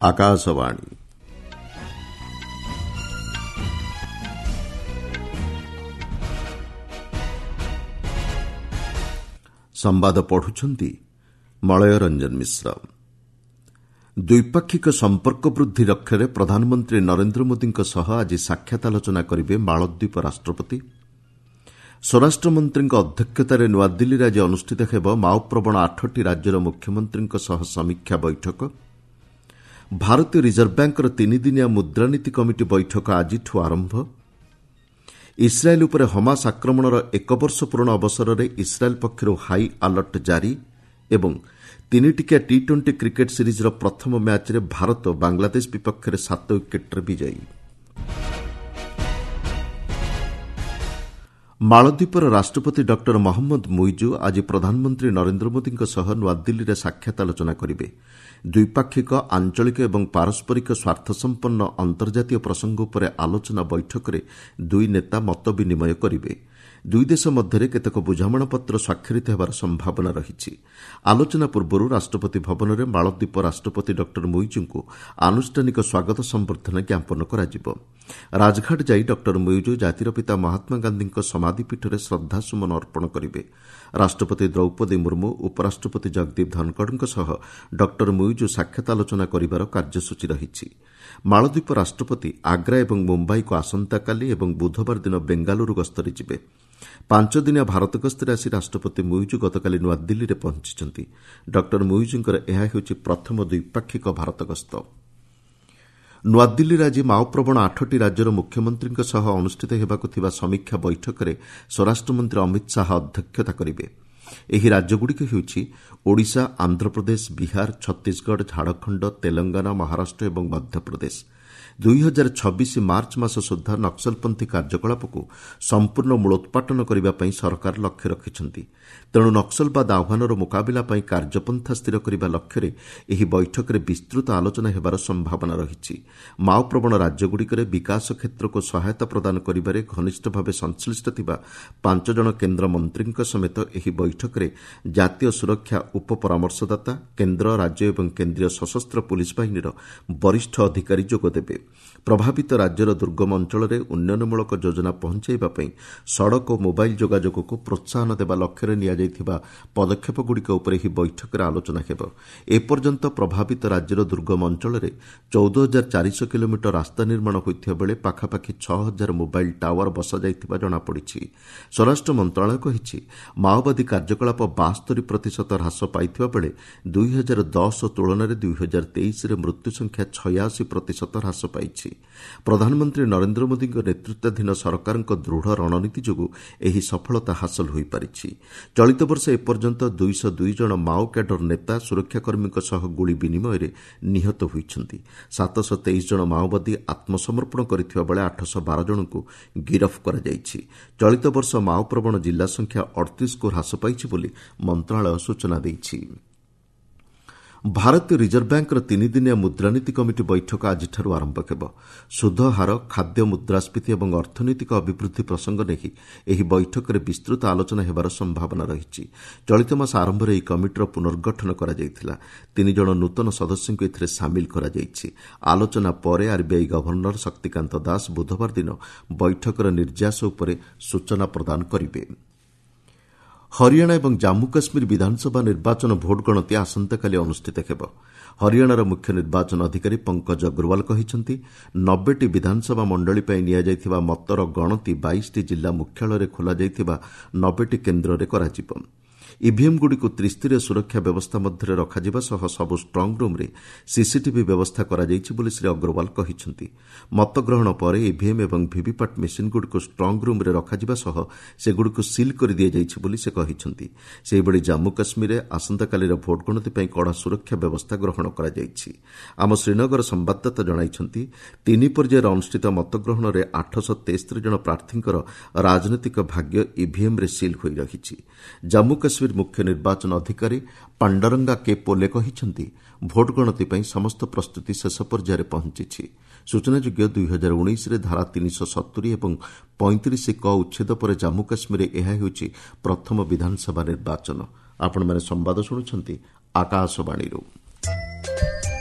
ଆକାଶବାଣୀ। ସମ୍ବାଦ ପଢୁଛନ୍ତି ମଳୟ ରଞ୍ଜନ ମିଶ୍ର। ଦ୍ୱିପାକ୍ଷିକ ସମ୍ପର୍କ ବୃଦ୍ଧି ଲକ୍ଷ୍ୟରେ ପ୍ରଧାନମନ୍ତ୍ରୀ ନରେନ୍ଦ୍ର ମୋଦିଙ୍କ ସହ ଆଜି ସାକ୍ଷାତ ଆଲୋଚନା କରିବେ ମାଳଦ୍ୱୀପ ରାଷ୍ଟ୍ରପତି। ସ୍ୱରାଷ୍ଟ୍ରମନ୍ତ୍ରୀଙ୍କ ଅଧ୍ୟକ୍ଷତାରେ ନୂଆଦିଲ୍ଲୀରେ ଆଜି ଅନୁଷ୍ଠିତ ହେବ ମାଓପ୍ରବଣ ଆଠଟି ରାଜ୍ୟର ମୁଖ୍ୟମନ୍ତ୍ରୀଙ୍କ ସହ ସମୀକ୍ଷା ବୈଠକ। ଭାରତୀୟ ରିଜର୍ଭ ବ୍ୟାଙ୍କର ତିନିଦିନିଆ ମୁଦ୍ରାନୀତି କମିଟି ବୈଠକ ଆଜିଠୁ ଆରମ୍ଭ। ଇସ୍ରାଏଲ୍ ଉପରେ ହମାସ ଆକ୍ରମଣର ଏକ ବର୍ଷ ପୂରଣ ଅବସରରେ ଇସ୍ରାଏଲ୍ ପକ୍ଷରୁ ହାଇ ଆଲର୍ଟ ଜାରି ଏବଂ ତିନିଟିକିଆ ଟି ଟ୍ୱେଣ୍ଟି କ୍ରିକେଟ୍ ସିରିଜ୍ର ପ୍ରଥମ ମ୍ୟାଚ୍ରେ ଭାରତ ବାଂଲାଦେଶ ବିପକ୍ଷରେ 7 ୱିକେଟ୍ରେ ବିଜୟୀ। ମାଳଦ୍ୱୀପର ରାଷ୍ଟ୍ରପତି ଡକ୍ଟର ମହମ୍ମଦ ମୁଇଜୁ ଆଜି ପ୍ରଧାନମନ୍ତ୍ରୀ ନରେନ୍ଦ୍ର ମୋଦିଙ୍କ ସହ ନୂଆଦିଲ୍ଲୀରେ ସାକ୍ଷାତ ଆଲୋଚନା କରିବେ। ଦ୍ୱିପାକ୍ଷିକ, ଆଞ୍ଚଳିକ ଏବଂ ପାରସ୍ପରିକ ସ୍ୱାର୍ଥସମ୍ପନ୍ନ ଅନ୍ତର୍ଜାତୀୟ ପ୍ରସଙ୍ଗ ଉପରେ ଆଲୋଚନା ବୈଠକରେ ଦୁଇ ନେତା ମତ ବିନିମୟ କରିବେ। ଦୁଇ ଦେଶ ମଧ୍ୟରେ କେତେକ ବୁଝାମଣାପତ୍ର ସ୍ୱାକ୍ଷରିତ ହେବାର ସମ୍ଭାବନା ରହିଛି। ଆଲୋଚନା ପୂର୍ବରୁ ରାଷ୍ଟ୍ରପତି ଭବନରେ ମାଳଦ୍ୱୀପ ରାଷ୍ଟ୍ରପତି ଡକ୍ଟର ମୁଇଜୁଙ୍କୁ ଆନୁଷ୍ଠାନିକ ସ୍ୱାଗତ ସମ୍ବର୍ଦ୍ଧନା ଜ୍ଞାପନ କରାଯିବ। ରାଜଘାଟ ଯାଇ ଡକ୍ଟର ମୁଇଜୁ ଜାତିର ପିତା ମହାତ୍ମା ଗାନ୍ଧୀଙ୍କ ସମାଧିପୀଠରେ ଶ୍ରଦ୍ଧାସୁମନ ଅର୍ପଣ କରିବେ। ରାଷ୍ଟ୍ରପତି ଦ୍ରୌପଦୀ ମୁର୍ମୁ, ଉପରାଷ୍ଟ୍ରପତି ଜଗଦୀପ ଧନଖଡ଼ଙ୍କ ସହ ଡକ୍ଟର ମୁଇଜୁ ସାକ୍ଷାତ ଆଲୋଚନା କରିବାର କାର୍ଯ୍ୟସୂଚୀ ରହିଛି। ମାଳଦ୍ୱୀପ ରାଷ୍ଟ୍ରପତି ଆଗ୍ରା ଏବଂ ମୁମ୍ବାଇକୁ ଆସନ୍ତାକାଲି ଏବଂ ବୁଧବାର ଦିନ ବେଙ୍ଗାଲୁରୁ ଗସ୍ତରେ ଯିବେ। ପାଞ୍ଚଦିନିଆ ଭାରତ ଗସ୍ତରେ ଆସି ରାଷ୍ଟ୍ରପତି ମୁଇଜୁ ଗତକାଲି ନୂଆଦିଲ୍ଲୀରେ ପହଞ୍ଚିଛନ୍ତି। ଡକ୍ଟର ମୁଇଜୁଙ୍କର ଏହା ହେଉଛି ପ୍ରଥମ ଦ୍ୱିପାକ୍ଷିକ ଭାରତ ଗସ୍ତ। ନୂଆଦିଲ୍ଲୀରେ ଆଜି ମାଓପ୍ରବଣ ଆଠଟି ରାଜ୍ୟର ମୁଖ୍ୟମନ୍ତ୍ରୀଙ୍କ ସହ ଅନୁଷ୍ଠିତ ହେବାକୁ ଥିବା ସମୀକ୍ଷା ବୈଠକରେ ସ୍ୱରାଷ୍ଟ୍ରମନ୍ତ୍ରୀ ଅମିତ ଶାହା ଅଧ୍ୟକ୍ଷତା କରିବେ। ଏହି ରାଜ୍ୟଗୁଡ଼ିକ ହେଉଛି ଓଡ଼ିଶା, ଆନ୍ଧ୍ରପ୍ରଦେଶ, ବିହାର, ଛତିଶଗଡ଼, ଝାଡ଼ଖଣ୍ଡ, ତେଲଙ୍ଗାନା, ମହାରାଷ୍ଟ୍ର ଏବଂ ମଧ୍ୟପ୍ରଦେଶ। 2026 ମାର୍ଚ୍ଚ ମାସ ସୁଦ୍ଧା ନକ୍ସଲପନ୍ଥୀ କାର୍ଯ୍ୟକଳାପକୁ ସମ୍ପୂର୍ଣ୍ଣ ମୂଳୋତ୍ପାଟନ କରିବା ପାଇଁ ସରକାର ଲକ୍ଷ୍ୟ ରଖିଛନ୍ତି। ତେଣୁ ନକ୍ସଲବାଦ ଆହ୍ୱାନର ମୁକାବିଲା ପାଇଁ କାର୍ଯ୍ୟପନ୍ଥା ସ୍ଥିର କରିବା ଲକ୍ଷ୍ୟରେ ଏହି ବୈଠକରେ ବିସ୍ତୃତ ଆଲୋଚନା ହେବାର ସମ୍ଭାବନା ରହିଛି। ମାଓପ୍ରବଣ ରାଜ୍ୟଗୁଡ଼ିକରେ ବିକାଶ କ୍ଷେତ୍ରକୁ ସହାୟତା ପ୍ରଦାନ କରିବାରେ ଘନିଷ୍ଠ ଭାବେ ସଂଶ୍ଳିଷ୍ଟ ଥିବା 5 ଜଣ କେନ୍ଦ୍ରମନ୍ତ୍ରୀଙ୍କ ସମେତ ଏହି ବୈଠକରେ ଜାତୀୟ ସୁରକ୍ଷା ଉପପରାମର୍ଶଦାତା, କେନ୍ଦ୍ର, ରାଜ୍ୟ ଏବଂ କେନ୍ଦ୍ରୀୟ ସଶସ୍ତ୍ର ପୁଲିସ୍ ବାହିନୀର ବରିଷ୍ଠ ଅଧିକାରୀ ଯୋଗଦେବେ। ପ୍ରଭାବିତ ରାଜ୍ୟର ଦୁର୍ଗମ ଅଞ୍ଚଳରେ ଉନ୍ନୟନମୂଳକ ଯୋଜନା ପହଞ୍ଚାଇବା ପାଇଁ ସଡ଼କ ଓ ମୋବାଇଲ୍ ଯୋଗାଯୋଗକୁ ପ୍ରୋତ୍ସାହନ ଦେବା ଲକ୍ଷ୍ୟରେ ନିଆଯାଇଥିବା ପଦକ୍ଷେପଗୁଡ଼ିକ ଉପରେ ଏହି ବୈଠକରେ ଆଲୋଚନା ହେବ। ଏପର୍ଯ୍ୟନ୍ତ ପ୍ରଭାବିତ ରାଜ୍ୟର ଦୁର୍ଗମ ଅଞ୍ଚଳରେ 14,400 କିଲୋମିଟର ରାସ୍ତା ନିର୍ମାଣ ହୋଇଥିବା ବେଳେ ପାଖାପାଖି 6,000 ମୋବାଇଲ୍ ଟାୱାର ବସାଯାଇଥିବା ଜଣାପଡ଼ିଛି। ସ୍ୱରାଷ୍ଟ୍ର ମନ୍ତ୍ରଣାଳୟ କହିଛି, ମାଓବାଦୀ କାର୍ଯ୍ୟକଳାପ 72% ହ୍ରାସ ପାଇଥିବା ବେଳେ 2010 ତୁଳନାରେ 2023ରେ ମୃତ୍ୟୁ ସଂଖ୍ୟା 86% ହ୍ରାସ ପାଇଛି। ପ୍ରଧାନମନ୍ତ୍ରୀ ନରେନ୍ଦ୍ର ମୋଦିଙ୍କ ନେତୃତ୍ୱାଧୀନ ସରକାରଙ୍କ ଦୃଢ଼ ରଣନୀତି ଯୋଗୁଁ ଏହି ସଫଳତା ହାସଲ ହୋଇପାରିଛି। ଚଳିତ ବର୍ଷ ଏପର୍ଯ୍ୟନ୍ତ 202 ଜଣ ମାଓ କ୍ୟାଡର ନେତା ସୁରକ୍ଷାକର୍ମୀଙ୍କ ସହ ଗୁଳି ବିନିମୟରେ ନିହତ ହୋଇଛନ୍ତି। 723 ଜଣ ମାଓବାଦୀ ଆତ୍ମସମର୍ପଣ କରିଥିବା ବେଳେ 812 ଜଣଙ୍କୁ ଗିରଫ କରାଯାଇଛି। ଚଳିତ ବର୍ଷ ମାଓପ୍ରବଣ ଜିଲ୍ଲା ସଂଖ୍ୟା 38କୁ ହ୍ରାସ ପାଇଛି ବୋଲି ମନ୍ତ୍ରଣାଳୟ ସୂଚନା ଦେଇଛି। ଭାରତୀୟ ରିଜର୍ଭ ବ୍ୟାଙ୍କର ତିନିଦିନିଆ ମୁଦ୍ରାନୀତି କମିଟି ବୈଠକ ଆଜିଠାରୁ ଆରମ୍ଭ ହେବ। ସୁଧ ହାର, ଖାଦ୍ୟ ମୁଦ୍ରାସ୍ଫୀତି ଏବଂ ଅର୍ଥନୈତିକ ଅଭିବୃଦ୍ଧି ପ୍ରସଙ୍ଗ ନେଇ ଏହି ବୈଠକରେ ବିସ୍ତୃତ ଆଲୋଚନା ହେବାର ସମ୍ଭାବନା ରହିଛି। ଚଳିତ ମାସ ଆରମ୍ଭରେ ଏହି କମିଟିର ପୁନର୍ଗଠନ କରାଯାଇଥିଲା। 3 ଜଣ ନୂତନ ସଦସ୍ୟଙ୍କୁ ଏଥିରେ ସାମିଲ କରାଯାଇଛି। ଆଲୋଚନା ପରେ ଆର୍ବିଆଇ ଗଭର୍ଣ୍ଣର ଶକ୍ତିକାନ୍ତ ଦାସ ବୁଧବାର ଦିନ ବୈଠକର ନିର୍ଯାସ ଉପରେ ସୂଚନା ପ୍ରଦାନ କରିବେ। ହରିୟାଣା ଏବଂ ଜାମ୍ମୁ କାଶ୍ମୀର ବିଧାନସଭା ନିର୍ବାଚନ ଭୋଟ୍ ଗଣତି ଆସନ୍ତାକାଲି ଅନୁଷ୍ଠିତ ହେବ। ହରିୟାଣାର ମୁଖ୍ୟ ନିର୍ବାଚନ ଅଧିକାରୀ ପଙ୍କଜ ଅଗ୍ରୱାଲ କହିଛନ୍ତି, 90ଟି ବିଧାନସଭା ମଣ୍ଡଳୀ ପାଇଁ ନିଆଯାଇଥିବା ମତର ଗଣତି 22ଟି ଜିଲ୍ଲା ମୁଖ୍ୟାଳୟରେ ଖୋଲାଯାଇଥିବା 90ଟି କେନ୍ଦ୍ରରେ କରାଯିବ। ଇଭିଏମ୍ଗୁଡ଼ିକୁ ତ୍ରିସ୍ତରୀୟ ସୁରକ୍ଷା ବ୍ୟବସ୍ଥା ମଧ୍ୟରେ ରଖାଯିବା ସହ ସବୁ ଷ୍ଟ୍ରଙ୍ଗ୍ ରୁମ୍ରେ ସିସିଟିଭି ବ୍ୟବସ୍ଥା କରାଯାଇଛି ବୋଲି ଶ୍ରୀ ଅଗ୍ରୱାଲ କହିଛନ୍ତି। ମତଗ୍ରହଣ ପରେ ଇଭିଏମ୍ ଏବଂ ଭିଭିପାଟ୍ ମେସିନ୍ଗୁଡ଼ିକୁ ଷ୍ଟ୍ରଙ୍ଗ୍ ରୁମ୍ରେ ରଖାଯିବା ସହ ସେଗୁଡ଼ିକୁ ସିଲ୍ କରିଦିଆଯାଇଛି ବୋଲି ସେ କହିଛନ୍ତି। ସେହିଭଳି ଜାମ୍ମୁ କାଶ୍ମୀରରେ ଆସନ୍ତାକାଲିର ଭୋଟ୍ ଗଣତି ପାଇଁ କଡ଼ା ସୁରକ୍ଷା ବ୍ୟବସ୍ଥା ଗ୍ରହଣ କରାଯାଇଛି। ଆମ ଶ୍ରୀନଗର ସମ୍ବାଦଦାତା ଜଣାଇଛନ୍ତି, 3 ପର୍ଯ୍ୟାୟରେ ଅନୁଷ୍ଠିତ ମତଗ୍ରହଣରେ 873 ଜଣ ପ୍ରାର୍ଥୀଙ୍କର ରାଜନୈତିକ ଭାଗ୍ୟ ଇଭିଏମ୍ରେ ସିଲ୍ ହୋଇ ରହିଛି। ଜାମ୍ମୁ କାଶ୍ମୀର ମୁଖ୍ୟ ନିର୍ବାଚନ ଅଧିକାରୀ ପାଣ୍ଡରଙ୍ଗା କେ ପୋଲେ କହିଛନ୍ତି, ଭୋଟ୍ ଗଣତି ପାଇଁ ସମସ୍ତ ପ୍ରସ୍ତୁତି ଶେଷ ପର୍ଯ୍ୟାୟରେ ପହଞ୍ଚିଛି। ସୂଚନାଯୋଗ୍ୟ, 2019ରେ ଧାରା 370 ଏବଂ 35 କ ଉଚ୍ଛେଦ ପରେ ଜାମ୍ମୁ କାଶ୍ମୀରରେ ଏହା ହେଉଛି ପ୍ରଥମ ବିଧାନସଭା ନିର୍ବାଚନ। ଆପଣମାନେ ସମ୍ବାଦ ଶୁଣୁଛନ୍ତି ଆକାଶବାଣୀରୁ।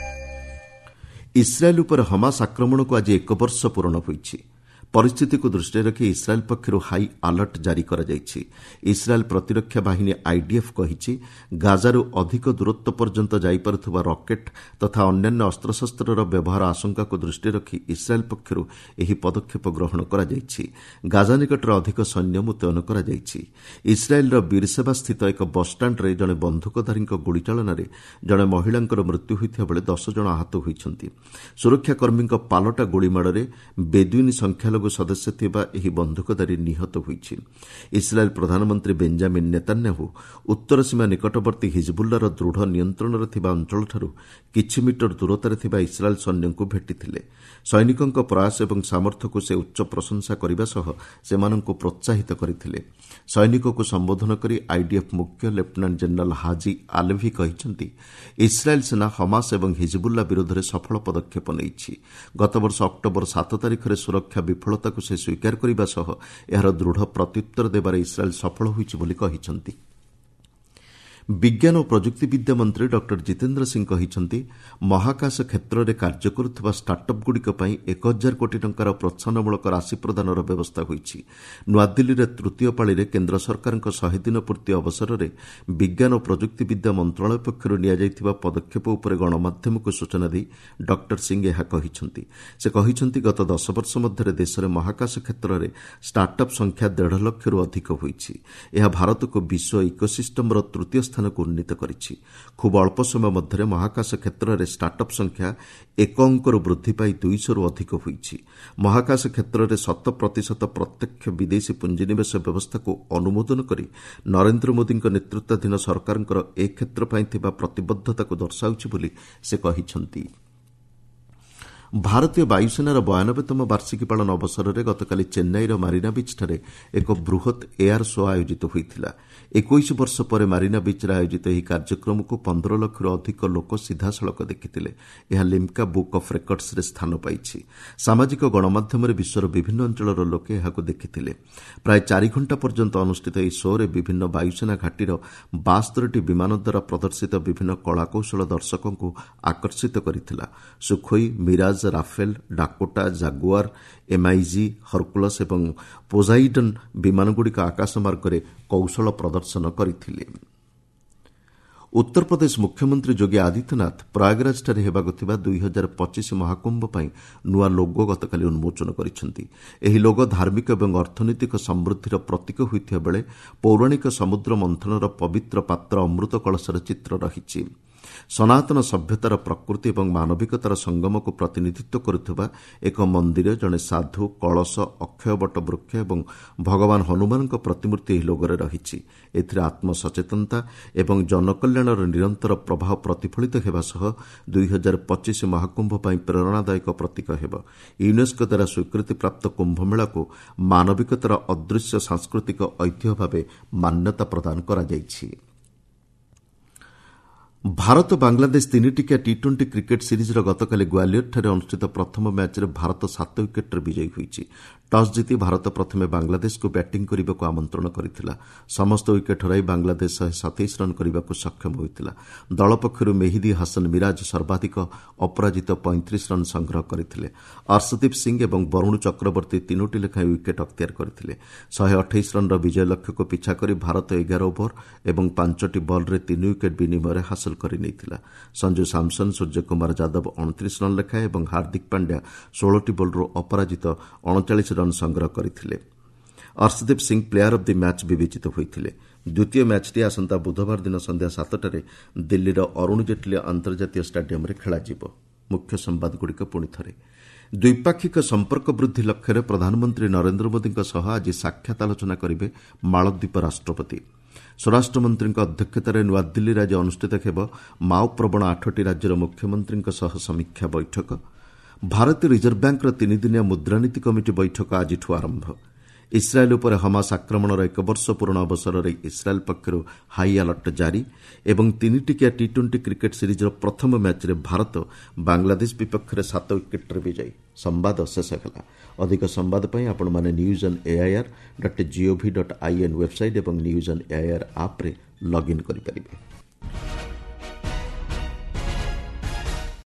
ଇସ୍ରାଏଲ୍ ଉପରେ ହମାସ ଆକ୍ରମଣକୁ ଆଜି ଏକ ବର୍ଷ ପୂରଣ ହୋଇଛି। ପରିସ୍ଥିତିକୁ ଦୃଷ୍ଟିରେ ରଖି ଇସ୍ରାଏଲ୍ ପକ୍ଷରୁ ହାଇ ଆଲର୍ଟ ଜାରି କରାଯାଇଛି। ଇସ୍ରାଏଲ୍ ପ୍ରତିରକ୍ଷା ବାହିନୀ ଆଇଡିଏଫ୍ କହିଛି, ଗାଜାରୁ ଅଧିକ ଦୂରତ୍ୱ ପର୍ଯ୍ୟନ୍ତ ଯାଇପାରୁଥିବା ରକେଟ୍ ତଥା ଅନ୍ୟାନ୍ୟ ଅସ୍ତ୍ରଶସ୍ତ୍ରର ବ୍ୟବହାର ଆଶଙ୍କାକୁ ଦୃଷ୍ଟିରେ ରଖି ଇସ୍ରାଏଲ୍ ପକ୍ଷରୁ ଏହି ପଦକ୍ଷେପ ଗ୍ରହଣ କରାଯାଇଛି। ଗାଜା ନିକଟରେ ଅଧିକ ସୈନ୍ୟ ମୁତୟନ କରାଯାଇଛି। ଇସ୍ରାଏଲ୍ର ବୀରସେବା ସ୍ଥିତ ଏକ ବସ୍ଷ୍ଟାଣ୍ଡରେ ଜଣେ ବନ୍ଧୁକଧାରୀଙ୍କ ଗୁଳିଚାଳନାରେ ଜଣେ ମହିଳାଙ୍କର ମୃତ୍ୟୁ ହୋଇଥିବା ବେଳେ 10 ଜଣ ଆହତ ହୋଇଛନ୍ତି। ସୁରକ୍ଷାକର୍ମୀଙ୍କ ପାଲଟା ଗୁଳିମାଡ଼ରେ ବେଦୁଇନ୍ ସଂଖ୍ୟାଲଘୁ ସଦସ୍ୟ ଥିବା ଏହି ବନ୍ଧୁକଧାରୀ ନିହତ ହୋଇଛି। ଇସ୍ରାଏଲ୍ ପ୍ରଧାନମନ୍ତ୍ରୀ ବେଞ୍ଜାମିନ୍ ନେତାନ୍ୟାହୁ ଉତ୍ତର ସୀମା ନିକଟବର୍ତ୍ତୀ ହିଜବୁଲ୍ଲାର ଦୃଢ଼ ନିୟନ୍ତ୍ରଣରେ ଥିବା ଅଞ୍ଚଳଠାରୁ କିଛି ମିଟର ଦୂରତାରେ ଥିବା ଇସ୍ରାଏଲ୍ ସୈନ୍ୟଙ୍କୁ ଭେଟିଥିଲେ। ସୈନିକଙ୍କ ପ୍ରୟାସ ଏବଂ ସାମର୍ଥ୍ୟକୁ ସେ ଉଚ୍ଚ ପ୍ରଶଂସା କରିବା ସହ ସେମାନଙ୍କୁ ପ୍ରୋତ୍ସାହିତ କରିଥିଲେ। ସୈନିକକୁ ସମ୍ବୋଧନ କରି ଆଇଡିଏଫ୍ ମୁଖ୍ୟ ଲେଫ୍ଟନାଣ୍ଟ ଜେନେରାଲ୍ ହାଜି ଆଲଭି କହିଛନ୍ତି, ଇସ୍ରାଏଲ୍ ସେନା ହମାସ ଏବଂ ହିଜବୁଲ୍ଲା ବିରୋଧରେ ସଫଳ ପଦକ୍ଷେପ ନେଇଛି। ଗତବର୍ଷ ଅକ୍ଟୋବର 7 ତାରିଖରେ ସୁରକ୍ଷା ବିଫଳତାକୁ ସେ ସ୍ୱୀକାର କରିବା ସହ ଏହାର ଦୃଢ଼ ପ୍ରତ୍ୟୁତ୍ତର ଦେବାରେ ଇସ୍ରାଏଲ୍ ସଫଳ ହୋଇଛି ବୋଲି କହିଛନ୍ତି। ବିଜ୍ଞାନ ଓ ପ୍ରଯୁକ୍ତିବିଦ୍ୟା ମନ୍ତ୍ରୀ ଡକ୍ଟର ଜିତେନ୍ଦ୍ର ସିଂ କହିଛନ୍ତି, ମହାକାଶ କ୍ଷେତ୍ରରେ କାର୍ଯ୍ୟ କରୁଥିବା ଷ୍ଟାର୍ଟଅପ୍ଗୁଡ଼ିକ ପାଇଁ 1000 କୋଟି ଟଙ୍କାର ପ୍ରୋତ୍ସାହନମୂଳକ ରାଶି ପ୍ରଦାନର ବ୍ୟବସ୍ଥା ହୋଇଛି। ନୂଆଦିଲ୍ଲୀରେ ତୃତୀୟ ପାଳିରେ କେନ୍ଦ୍ର ସରକାରଙ୍କ 100 ଦିନ ପୂର୍ତ୍ତି ଅବସରରେ ବିଜ୍ଞାନ ଓ ପ୍ରଯୁକ୍ତିବିଦ୍ୟା ମନ୍ତ୍ରଣାଳୟ ପକ୍ଷରୁ ନିଆଯାଇଥିବା ପଦକ୍ଷେପ ଉପରେ ଗଣମାଧ୍ୟମକୁ ସୂଚନା ଦେଇ ଡକ୍ଟର ସିଂ ଏହା କହିଛନ୍ତି। ସେ କହିଛନ୍ତି, ଗତ 10 ବର୍ଷ ମଧ୍ୟରେ ଦେଶରେ ମହାକାଶ କ୍ଷେତ୍ରରେ ଷ୍ଟାର୍ଟଅପ୍ ସଂଖ୍ୟା 1.5 ଲକ୍ଷରୁ ଅଧିକ ହୋଇଛି। ଏହା ଭାରତକୁ ବିଶ୍ୱ ଇକୋସିଷ୍ଟମର ତୃତୀୟ ସ୍ଥାନ ଉନ୍ନୀତ କରିଛି। ଖୁବ୍ ଅଳ୍ପ ସମୟ ମଧ୍ୟରେ ମହାକାଶ କ୍ଷେତ୍ରରେ ଷ୍ଟାର୍ଟଅପ୍ ସଂଖ୍ୟା 1 ଅଙ୍କରୁ ବୃଦ୍ଧି ପାଇ 200ରୁ ଅଧିକ ହୋଇଛି। ମହାକାଶ କ୍ଷେତ୍ରରେ 100% ପ୍ରତ୍ୟକ୍ଷ ବିଦେଶୀ ପୁଞ୍ଜିନିବେଶ ବ୍ୟବସ୍ଥାକୁ ଅନୁମୋଦନ କରି ନରେନ୍ଦ୍ର ମୋଦିଙ୍କ ନେତୃତ୍ୱାଧୀନ ସରକାରଙ୍କର ଏ କ୍ଷେତ୍ର ପାଇଁ ଥିବା ପ୍ରତିବଦ୍ଧତାକୁ ଦର୍ଶାଉଛି ବୋଲି ସେ କହିଛନ୍ତି। ଭାରତୀୟ ବାୟୁସେନାର 92ତମ ବାର୍ଷିକୀ ପାଳନ ଅବସରରେ ଗତକାଲି ଚେନ୍ନାଇର ମାରିନା ବିଚ୍ଠାରେ ଏକ ବୃହତ୍ ଏୟାର ଶୋ ଆୟୋଜିତ ହୋଇଥିଲା। 21 ବର୍ଷ ପରେ ମାରିନା ବିଚ୍ରେ ଆୟୋଜିତ ଏହି କାର୍ଯ୍ୟକ୍ରମକୁ 15 ଲକ୍ଷରୁ ଅଧିକ ଲୋକ ସିଧାସଳଖ ଦେଖିଥିଲେ। ଏହା ଲିମ୍କା ବୁକ୍ ଅଫ୍ ରେକର୍ଡସରେ ସ୍ଥାନ ପାଇଛି। ସାମାଜିକ ଗଣମାଧ୍ୟମରେ ବିଶ୍ୱର ବିଭିନ୍ନ ଅଞ୍ଚଳର ଲୋକେ ଏହାକୁ ଦେଖିଥିଲେ। ପ୍ରାୟ 4 ଘଣ୍ଟା ପର୍ଯ୍ୟନ୍ତ ଅନୁଷ୍ଠିତ ଏହି ଶୋରେ ବିଭିନ୍ନ ବାୟୁସେନା ଘାଟିର 72ଟି ବିମାନ ଦ୍ୱାରା ପ୍ରଦର୍ଶିତ ବିଭିନ୍ନ କଳାକୌଶଳ ଦର୍ଶକଙ୍କୁ ଆକର୍ଷିତ କରିଥିଲା। Sukhoi, Mirage, Rafale, Dakota, Jaguar, MiG, Hercules ଏବଂ ପୋଜାଇଡନ୍ ବିମାନଗୁଡ଼ିକ ଆକାଶମାର୍ଗରେ କୌଶଳ ପ୍ରଦର୍ଶନ କରିଥିଲେ। ଉତ୍ତରପ୍ରଦେଶ ମୁଖ୍ୟମନ୍ତ୍ରୀ ଯୋଗୀ ଆଦିତ୍ୟନାଥ ପ୍ରୟାଗରାଜଠାରେ ହେବାକୁ ଥିବା 2025 ମହାକୁମ୍ଭ ପାଇଁ ନୂଆ ଲୋଗୋ ଗତକାଲି ଉନ୍ମୋଚନ କରିଛନ୍ତି। ଏହି ଲୋଗୋ ଧାର୍ମିକ ଏବଂ ଅର୍ଥନୈତିକ ସମୃଦ୍ଧିର ପ୍ରତୀକ ହୋଇଥିବା ବେଳେ ପୌରାଣିକ ସମୁଦ୍ର ମନ୍ଥନର ପବିତ୍ର ପାତ୍ର ଅମୃତ କଳସର ଚିତ୍ର ରହିଛି। ସନାତନ ସଭ୍ୟତାର ପ୍ରକୃତି ଏବଂ ମାନବିକତାର ସଙ୍ଗମକୁ ପ୍ରତିନିଧିତ୍ୱ କରୁଥିବା ଏକ ମନ୍ଦିର, ଜଣେ ସାଧୁ, କଳସ, ଅକ୍ଷୟବଟ ବୃକ୍ଷ ଏବଂ ଭଗବାନ ହନୁମାନଙ୍କ ପ୍ରତିମୂର୍ତ୍ତି ଏହି ଲୋଗୋରେ ରହିଛି। ଏଥିରେ ଆତ୍ମସଚେତନତା ଏବଂ ଜନକଲ୍ୟାଣର ନିରନ୍ତର ପ୍ରବାହ ପ୍ରତିଫଳିତ ହେବା ସହ 2025 ମହାକୁମ୍ଭ ପାଇଁ ପ୍ରେରଣାଦାୟକ ପ୍ରତୀକ ହେବ। ୟୁନେସ୍କୋ ଦ୍ୱାରା ସ୍ୱୀକୃତିପ୍ରାପ୍ତ କୁମ୍ଭମେଳାକୁ ମାନବିକତାର ଅଦୃଶ୍ୟ ସାଂସ୍କୃତିକ ଐତିହ୍ୟ ଭାବେ ମାନ୍ୟତା ପ୍ରଦାନ କରାଯାଇଛି। ଭାରତ ବାଂଲାଦେଶ 3 ଟିକିଆ ଟି-20 କ୍ରିକେଟ୍ ସିରିଜ୍ର ଗତକାଲି ଗ୍ୱାଲିୟରଠାରେ ଅନୁଷ୍ଠିତ ପ୍ରଥମ ମ୍ୟାଚ୍ରେ ଭାରତ 7 ୱିକେଟ୍ରେ ବିଜୟୀ ହୋଇଛି। ଟସ୍ ଜିତି ଭାରତ ପ୍ରଥମେ ବାଂଲାଦେଶକୁ ବ୍ୟାଟିଂ କରିବାକୁ ଆମନ୍ତ୍ରଣ କରିଥିଲା। ସମସ୍ତ ୱିକେଟ୍ ହରାଇ ବାଂଲାଦେଶ 127 ରନ୍ କରିବାକୁ ସକ୍ଷମ ହୋଇଥିଲା। ଦଳ ପକ୍ଷରୁ ମେହିଦି ହାସନ ମିରାଜ ସର୍ବାଧିକ ଅପରାଜିତ 35 ରନ୍ ସଂଗ୍ରହ କରିଥିଲେ। ଅର୍ଶଦୀପ ସିଂ ଏବଂ ବରୁଣ ଚକ୍ରବର୍ତ୍ତୀ 3ଟି ଲେଖାଏଁ ୱିକେଟ୍ ଅକ୍ତିଆର କରିଥିଲେ। 128 ରନ୍ର ବିଜୟ ଲକ୍ଷ୍ୟକୁ ପିଛା କରି ଭାରତ 11 ଓଭର ଏବଂ 5ଟି ବଲ୍ରେ 3 ୱିକେଟ୍ ବିନିମୟରେ ହାସଲ କରିନେଇଥିଲା। ସଞ୍ଜୁ ସାମସନ୍, ସୂର୍ଯ୍ୟକୁମାର ଯାଦବ 29 ରନ୍ ଲେଖାଏଁ ଏବଂ ହାର୍ଦ୍ଦିକ ପାଣ୍ଡ୍ୟା 16ଟି ବଲ୍ରୁ ଅପରାଜିତ 39 ରନ୍ ସଂଗ୍ରହ କରିଥିଲେ। Arshdeep Singh player of the match ବିବେଚିତ ହୋଇଥିଲେ। ଦ୍ୱିତୀୟ ମ୍ୟାଚ୍ଟି ଆସନ୍ତା ବୁଧବାର ଦିନ ସନ୍ଧ୍ୟା 7ଟାରେ ଦିଲ୍ଲୀର ଅରୁଣ ଜେଟ୍ଲୀ ଅନ୍ତର୍ଜାତୀୟ ଷ୍ଟାଡିୟମ୍ରେ ଖେଳାଯିବ। ମୁଖ୍ୟ ସମ୍ବାଦଗୁଡ଼ିକ ପୁଣି ଥରେ। ଦ୍ୱିପାକ୍ଷିକ ସମ୍ପର୍କ ବୃଦ୍ଧି ଲକ୍ଷ୍ୟରେ ପ୍ରଧାନମନ୍ତ୍ରୀ ନରେନ୍ଦ୍ର ମୋଦିଙ୍କ ସହ ଆଜି ସାକ୍ଷାତ ଆଲୋଚନା କରିବେ ମାଳଦ୍ୱୀପ ରାଷ୍ଟ୍ରପତି। ସ୍ୱରାଷ୍ଟ୍ରମନ୍ତ୍ରୀଙ୍କ ଅଧ୍ୟକ୍ଷତାରେ ନୂଆଦିଲ୍ଲୀରେ ଆଜି ଅନୁଷ୍ଠିତ ହେବ ମାଓପ୍ରବଣ 8ଟି ରାଜ୍ୟର ମୁଖ୍ୟମନ୍ତ୍ରୀଙ୍କ ସହ ସମୀକ୍ଷା ବୈଠକ। ଭାରତୀୟ ରିଜର୍ଭ ବ୍ୟାଙ୍କର 3 ଦିନିଆ ମୁଦ୍ରାନୀତି କମିଟି ବୈଠକ ଆଜିଠୁ ଆରମ୍ଭ। ଇସ୍ରାଏଲ୍ ଉପରେ ହମାସ ଆକ୍ରମଣର 1 ବର୍ଷ ପୂରଣ ଅବସରରେ ଇସ୍ରାଏଲ୍ ପକ୍ଷରୁ ହାଇ ଆଲର୍ଟ ଜାରି ଏବଂ 3 ଟିକିଆ ଟି-20 କ୍ରିକେଟ୍ ସିରିଜ୍ର ପ୍ରଥମ ମ୍ୟାଚ୍ରେ ଭାରତ ବାଂଲାଦେଶ ବିପକ୍ଷରେ 7 ୱିକେଟ୍ରେ ବିଜୟୀ। ସମ୍ବାଦ ଶେଷ ହେଲା। ଅଧିକ ସମ୍ବାଦ ପାଇଁ ଆପଣମାନେ news on AIR.gov.in website ଏବଂ ନ୍ୟୁଜ୍ ଅନ୍ ଏଆଇଆର୍ ଆପ୍ରେ ଲଗ୍ଇନ୍ କରିପାରିବେ।